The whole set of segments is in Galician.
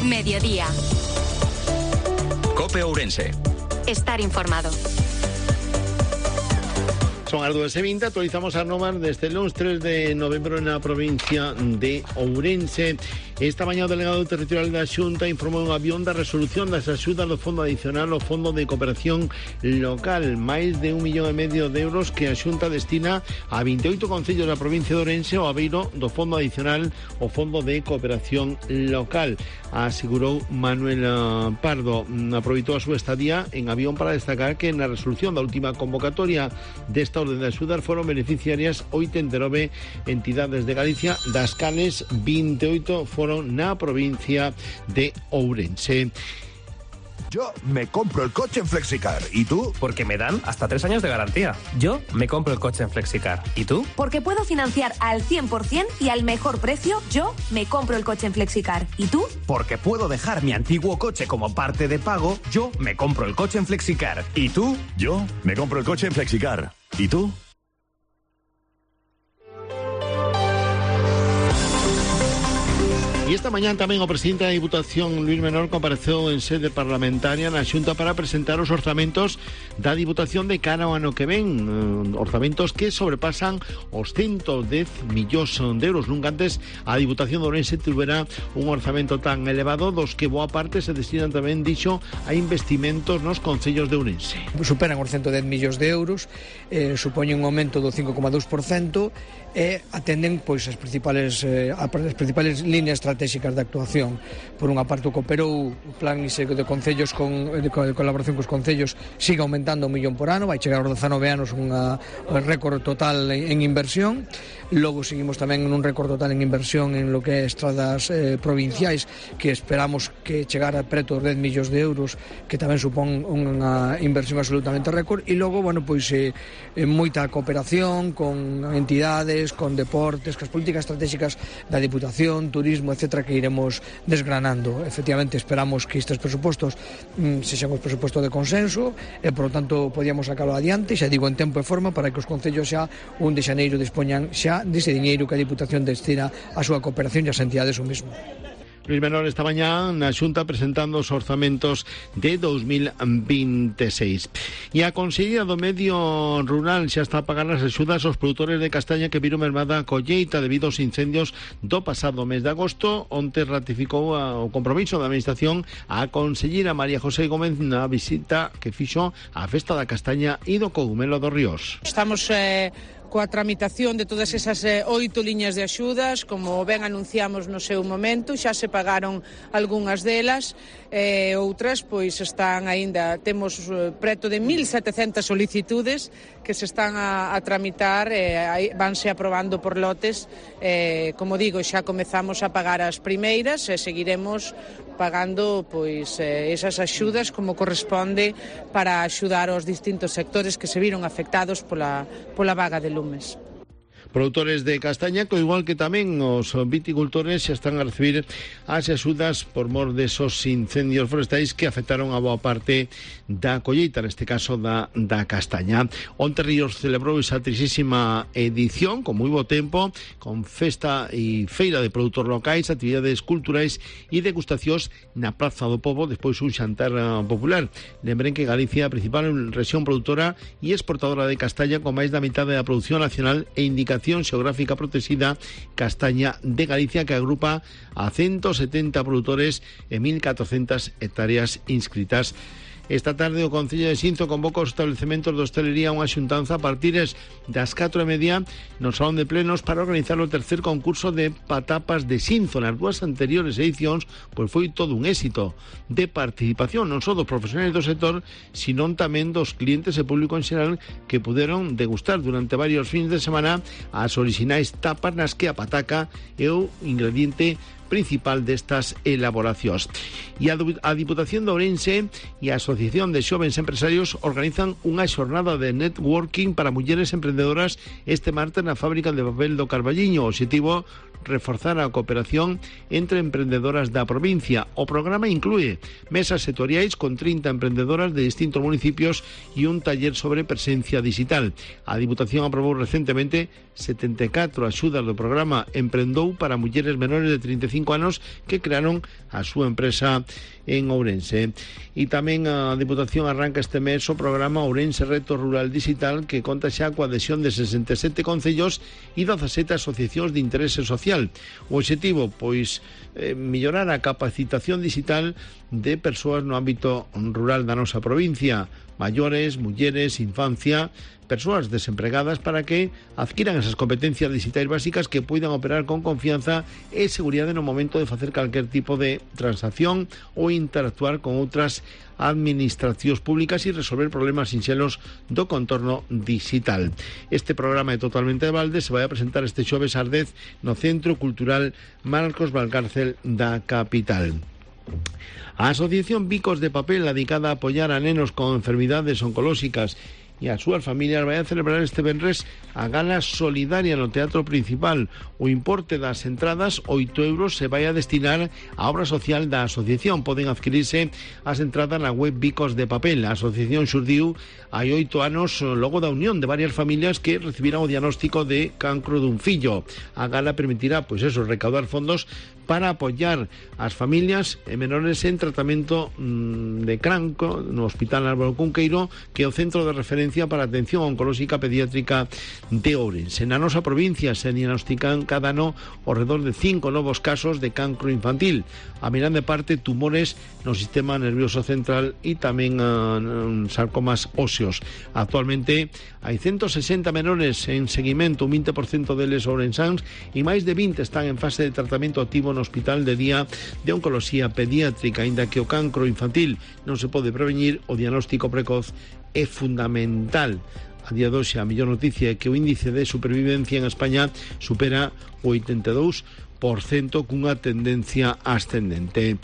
Mediodía. COPE Ourense. Estar informado. Son as 2:20, actualizamos as normas desde el lunes 3 de novembro na provincia de Ourense. Esta mañá o delegado territorial da Xunta informou un avión da resolución das axudas do Fondo Adicional ao Fondo de Cooperación Local. Máis de 1,5 millón de euros que a Xunta destina a 28 concellos da provincia de Ourense ao abeiro do Fondo Adicional ao Fondo de Cooperación Local. Asegurou Manuel Pardo. Aproveitou a súa estadía en avión para destacar que na resolución da última convocatoria desta orden de axudar foron beneficiarias 89 entidades de Galicia, das cales 28 foron na provincia de Ourense. Yo me compro el coche en Flexicar. ¿Y tú? Porque me dan hasta 3 años de garantía. Yo me compro el coche en Flexicar. ¿Y tú? Porque puedo financiar al 100% y al mejor precio. Yo me compro el coche en Flexicar. ¿Y tú? Porque puedo dejar mi antiguo coche como parte de pago. Yo me compro el coche en Flexicar. ¿Y tú? Yo me compro el coche en Flexicar. ¿Y tú? E esta mañá tamén o presidente da Diputación, Luís Menor, compareceu en sede parlamentaria na Xunta para presentar os orzamentos da Diputación de cara ao ano que ven, orzamentos que sobrepasan os 110 millóns de euros. Nunca antes a Diputación de Ourense tuvera un orzamento tan elevado, dos que boa parte se destinan tamén, dixo, a investimentos nos concellos de Ourense. Superan os 110 millóns de euros, supoñen un aumento do 5,2%, e atenden pois as principales líneas estratégicas de actuación. Por unha parte, o cooperou o plan de concellos de colaboración cos concellos sigue aumentando 1 millón por ano, vai chegar aos 19 anos un récord total en inversión. Logo seguimos tamén en un récord total en inversión en lo que é estradas provinciais, que esperamos que chegara preto dos 10 millóns de euros, que tamén supón unha inversión absolutamente récord. E logo, bueno, pois moita cooperación con entidades, con deportes, con as políticas estratégicas da Diputación, turismo, etcétera, que iremos desgranando. Efectivamente, esperamos que estes presupostos sexan os presupostos de consenso e, por lo tanto, podíamos sacalo adiante, xa digo, en tempo e forma, para que os concellos xa 1 de xaneiro dispoñan xa dese diñeiro que a Diputación destina a súa cooperación e as entidades o mesmo. Luís Menor esta mañá na Xunta presentando os orzamentos de 2026. E a Consellería do Medio Rural xa está a pagar as axudas aos produtores de castaña que viron mermada a colleita debido aos incendios do pasado mes de agosto. Onte ratificou o compromiso da Administración a conselleira María José Gómez na visita que fixo á Festa da Castaña e do Cogumelo dos Ríos. Estamos coa tramitación de todas esas 8 liñas de axudas, como ben anunciamos no seu momento, xa se pagaron algunhas delas, outras pois están aínda, temos preto de 1.700 solicitudes que se están a tramitar, vanse aprobando por lotes, como digo, xa comezamos a pagar as primeiras e seguiremos pagando pois esas axudas como corresponde para axudar aos distintos sectores que se viron afectados pola vaga de lumes. Produtores de castaña, co igual que tamén os viticultores, xa están a recibir as axudas por mor desos incendios forestais que afectaron a boa parte da colleita, neste caso da castaña. Onte Ríos celebrou esa 30ª edición con moi bo tempo, con festa e feira de produtos locais, actividades culturais e degustacións na Praza do Pobo, despois un xantar popular. Lembren que Galicia é a principal rexión produtora e exportadora de castaña, con máis da mitad da produción nacional e indicación xeográfica protegida Castaña de Galicia, que agrupa a 170 produtores e 1.400 hectáreas inscritas. Esta tarde o Concello de Xinzo convoca os establecementos de hostelería a unha xuntanza a partir das 4:30 no Salón de Plenos para organizar o tercer concurso de patapas de Xinzo. Nas 2 anteriores edicións pois foi todo un éxito de participación, non só dos profesionais do sector, sino tamén dos clientes e público en xeral, que puderon degustar durante varios fins de semana as orixinais tapas nas que a pataca é o ingrediente principal destas elaboracións. E a Diputación de Ourense e a Asociación de Xovens Empresarios organizan unha xornada de networking para mulleres emprendedoras este martes na fábrica de papel do Carballiño. O obxectivo reforzar a cooperación entre emprendedoras da provincia. O programa inclúe mesas sectoriais con 30 emprendedoras de distintos municipios e un taller sobre presencia digital. A Diputación aprobou recentemente 74 axudas do programa Emprendou para mulleres menores de 35 anos que crearon a súa empresa en Ourense. E tamén a Diputación arranca este mes o programa Ourense Reto Rural Digital, que conta xa coa adhesión de 67 concellos e 17 asociacións de interese social. O obxectivo, pois, mellorar a capacitación digital de persoas no ámbito rural da nosa provincia, maiores, mulleres, infancia, persoas desempregadas, para que adquiran esas competencias digitais básicas que poidan operar con confianza e seguridade no momento de facer calquer tipo de transacción ou interactuar con outras administracións públicas e resolver problemas sinxelos do contorno digital. Este programa é totalmente de balde, se vai a presentar este xoves ás 10 no Centro Cultural Marcos Valcárcel da capital. A Asociación Bicos de Papel, dedicada a apoiar a nenos con enfermidades oncolóxicas e as súas familias, vai a celebrar este venres a gala solidaria no Teatro Principal. O importe das entradas, 8 euros, se vai a destinar á obra social da asociación. Poden adquirirse as entradas na web Bicos de Papel. A asociación xurdiu hai 8 anos logo da unión de varias familias que recibiran o diagnóstico de cancro dun fillo. A gala permitirá, pois eso, recaudar fondos para apoiar as familias e menores en tratamento de cancro no Hospital Álvaro Cunqueiro, que é o centro de referencia para a atención oncolóxica pediátrica de Ourense. Na nosa provincia se diagnostican cada ano ao redor de 5 novos casos de cancro infantil, a grande parte tumores no sistema nervioso central e tamén sarcomas óseos. Actualmente hai 160 menores en seguimento, un 20% deles ourensáns, e máis de 20 están en fase de tratamento activo no Hospital de Día de Oncoloxía Pediátrica. Aínda que o cancro infantil non se pode prevenir, o diagnóstico precoz é fundamental. A día de hoxe a mellor noticia é que o índice de supervivencia en España supera o 82%, cunha tendencia ascendente.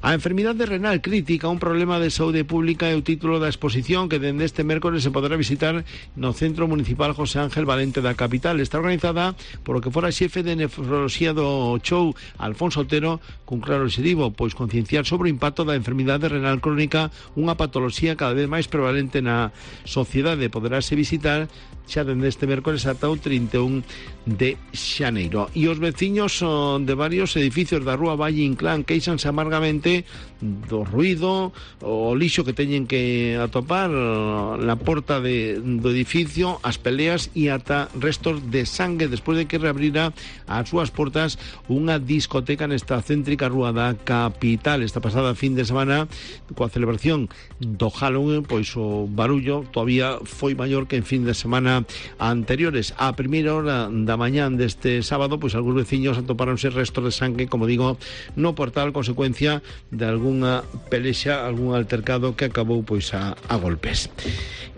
A enfermidade renal crítica, un problema de saúde pública, é o título da exposición que dende este mércores se poderá visitar no Centro Municipal José Ángel Valente da capital. Está organizada por o que fora xefe de nefroloxía do Chou, Alfonso Otero, cun claro objetivo, pois concienciar sobre o impacto da enfermidade renal crónica, unha patoloxía cada vez máis prevalente na sociedade. Poderase visitar xa dende este mércores ata o 31 de xaneiro. E os veciños de varios edificios da Rúa Valle Inclán queixanse amargamente do ruído, o lixo que teñen que atopar na porta do edificio, as peleas e ata restos de sangue despois de que reabrira as súas portas unha discoteca nesta céntrica rúa da capital. Esta pasada fin de semana, coa celebración do Halloween, pois o barullo todavía foi maior que en fin de semana anteriores. A primeira hora da mañán deste sábado, pois algúns veciños atopáronse restos de sangue, como digo, no portal, consecuencia de algunha pelexa, algún altercado que acabou pois a golpes.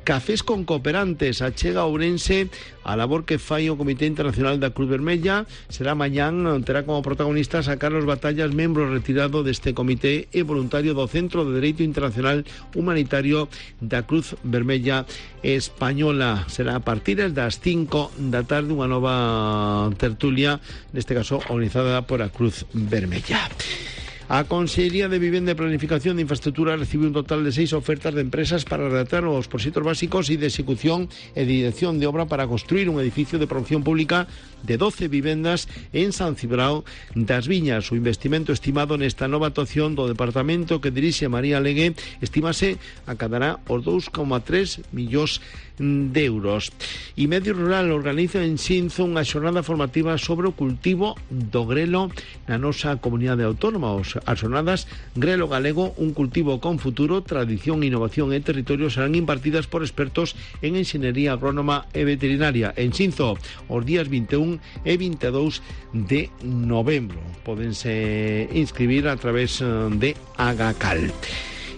Cafés con cooperantes, achega a Ourense a labor que fai o Comité Internacional da Cruz Vermella. Será mañán, terá como protagonistas a Carlos Batallas, membro retirado deste comité e voluntario do Centro de Dereito Internacional Humanitario da Cruz Vermella Española. Será a partir das 5 da tarde unha nova tertulia, neste caso organizada por a Cruz Vermella. A Consellería de Vivenda e Planificación de Infraestructura recibiu un total de 6 ofertas de empresas para redactar os proxectos básicos e de execución e de dirección de obra para construir un edificio de promoción pública de 12 vivendas en San Cibrao das Viñas. O investimento estimado nesta nova actuación do departamento que dirixe María Legue estimase acadará os 2,3 millóns de euros. E Medio Rural organiza en Xinzo unha xornada formativa sobre o cultivo do grelo na nosa comunidade autónoma. As xornadas Grelo Galego, un cultivo con futuro, tradición, innovación e territorio serán impartidas por expertos en enxeñería agrónoma e veterinaria en Xinzo os días 21 e 22 de novembro. Pódense inscribir a través de Agacal.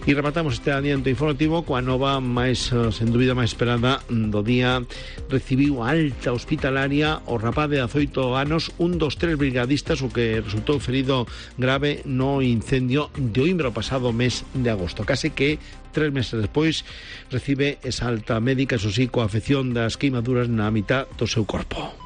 E rematamos este adianto informativo coa nova máis, sen dúbida, máis esperada do día. Recibiu alta hospitalaria o rapaz de 18 anos, un dos 3 brigadistas, o que resultou ferido grave no incendio de Oimbra o pasado mes de agosto. Case que 3 meses despois recibe esa alta médica, eso sí, coa afección das queimaduras na mitad do seu corpo.